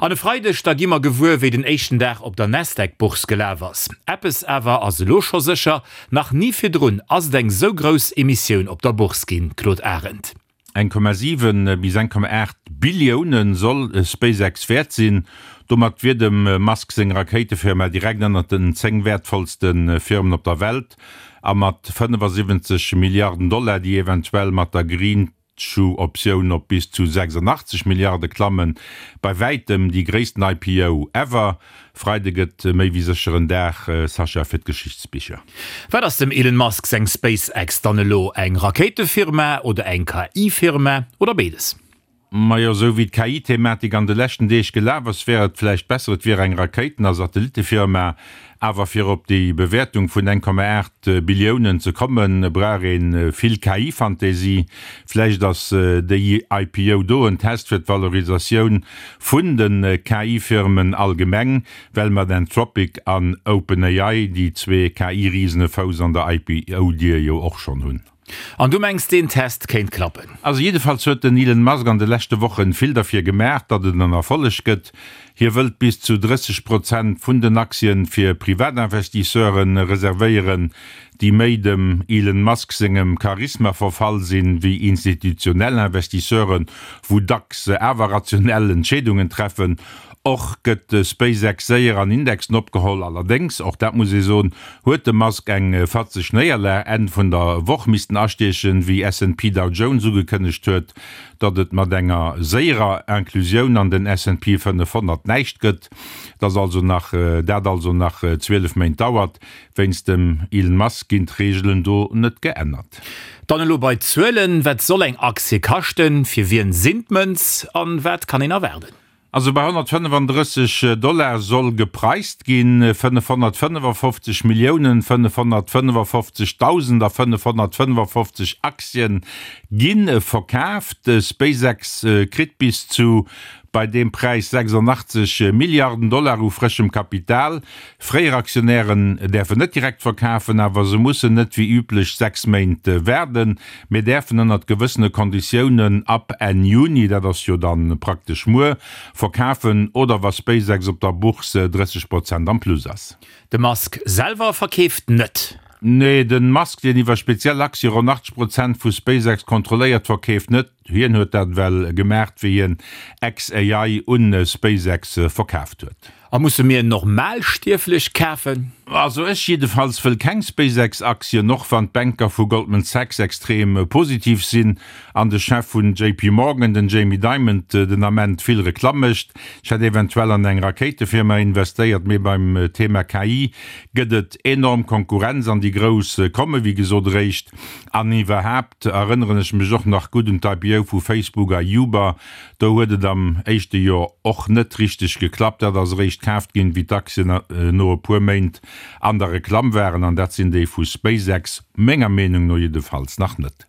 An e Freideg da gi mer gewuer, wéi den éischten Dag op der Nasdaq-Bourse gelaf ass. Eppes awer ass elo scho sécher, Nach ni virdrun ass et eng sou grouss Emissioun op der Bourse ginn. Claude Arend. 1,7 bis 1,8 Billioune soll SpaceX wäert sinn. Domat wier dem Musk seng Rakéitefirma direkt ënnert den 10 wäertvollste Firmen op der Welt a mat 75 Milliarden Dollar, déi eventuell mat der Green Shoe-Optioun op bis zu 86 Milliarde klammen, bei wäitem déi gréissten IPO ever. Freide gëtt méi wéi sécher en Dag, Sascha, fir d'Geschichtsbicher. Wat ass dem Elon Musk seng SpaceX dann elo? Eng Rakéitefirma oder eng KI-Firma oder béides? Majo, esou wéi d'KI-Thematik an de leschten Deeg gelaf ass, wär et vläicht besser, et wier eng Rakéiten a Satellitefirma. Awer fir op déi Bewäertung vun 1,8 Billiounen ze kommen, brauch ee vill KI-Fantasie. Vläicht ass déi IPO do en Test fir d'Valorisatioun vun de KI-Firmen allgemeng, well mat Anthropic an OpenAI déi zwee KI-Risen e Fouss an der IPO-Dier jo och schonn hunn. An du mengs deen Test kéint klappen? Also jiddefalls huet den Elon Musk an de leschte Wochen vill derfir gemaach, datt et en Erfolleg gëtt. Hie wëllt bis zu 30 Prozent vun den Aktien fir Privatinvestisseuren reservéieren, déi méi dem Elon Musk sengem Charisma verfall sinn, wéi institutionell Investisseuren, wou dacks awer rationell Entscheedungen treffen. Och gëtt SpaceX séier an Indexen opgeholl. Allerdéngs, och dat muss ee soen, huet de Musk eng fatzeg Néierlag Enn vun der Woch missten astiechen, wéi S&P Dow Jones ugekënnegt huet, datt et mat enger séierer Inclusioun an den S&P 500 näischt gëtt, dass also nach dat also nach 12 Méint dauert. Wéinst dem Elon Musk ginn d'Reegelen do net geännert. Dann elo bei d'Zuelen, Wat soll eng Aktie kaschten, fir wien sinn d'Mënz an wat kann een erwaarden? Also bei 135 Dollar soll gepreist ginn, 555 Milliounen 555.000 a 555 Aktien gi verkaaft. SpaceX kritt bis zu bei deem Präis 86 Milliarden Dollar u frëschem Kapital. Fréier Aktionären däerfen net direkt verkafen, awer se mussen net wéi üblech 6 Méint waarden, mee däerfen ënnert gewëssene Konditiounen ab Enn Juni, dat ass jo dann praktesch muer, verkafen oder wa SpaceX op der Bourse 30 Prozent am Plus ass. De Musk selwer verkeeft net. Nee, de Musk, deen iwwer speziell Aktie ronn 80 Prozent vu SpaceX kontrolléiert, verkeeft net. Hien huet dat ewell gemaacht, wéi hien xAI un SpaceX verkaaft huet. A musse mir Normalstierflech kafen? Also ech jiddefalls wëll keng SpaceX-Aktien, och wann d'Banker vu Goldman Sachs extrem positiv sinn an de Chef vun JP Morgan, den Jamie Dimon, den Ament vill Reklamm mécht. Ech hätt eventuell an eng Rakéitefirma investéiert, mee beim Thema KI gëtt et enorm Konkurrenz an déi Grouss komme wéi gesot eréischt. An iwwerhaapt erënneren ech mech och nach gutt un d'IPO vu Facebook a Uber, Do huet et am éischte Joer och net richteg geklappt. Dat ass eréischt kaaft ginn, wéi d'Aktien no e puer Méint an der Reklamm waren. An dat sinn déi vu SpaceX menger Meenung no jiddefalls nach net.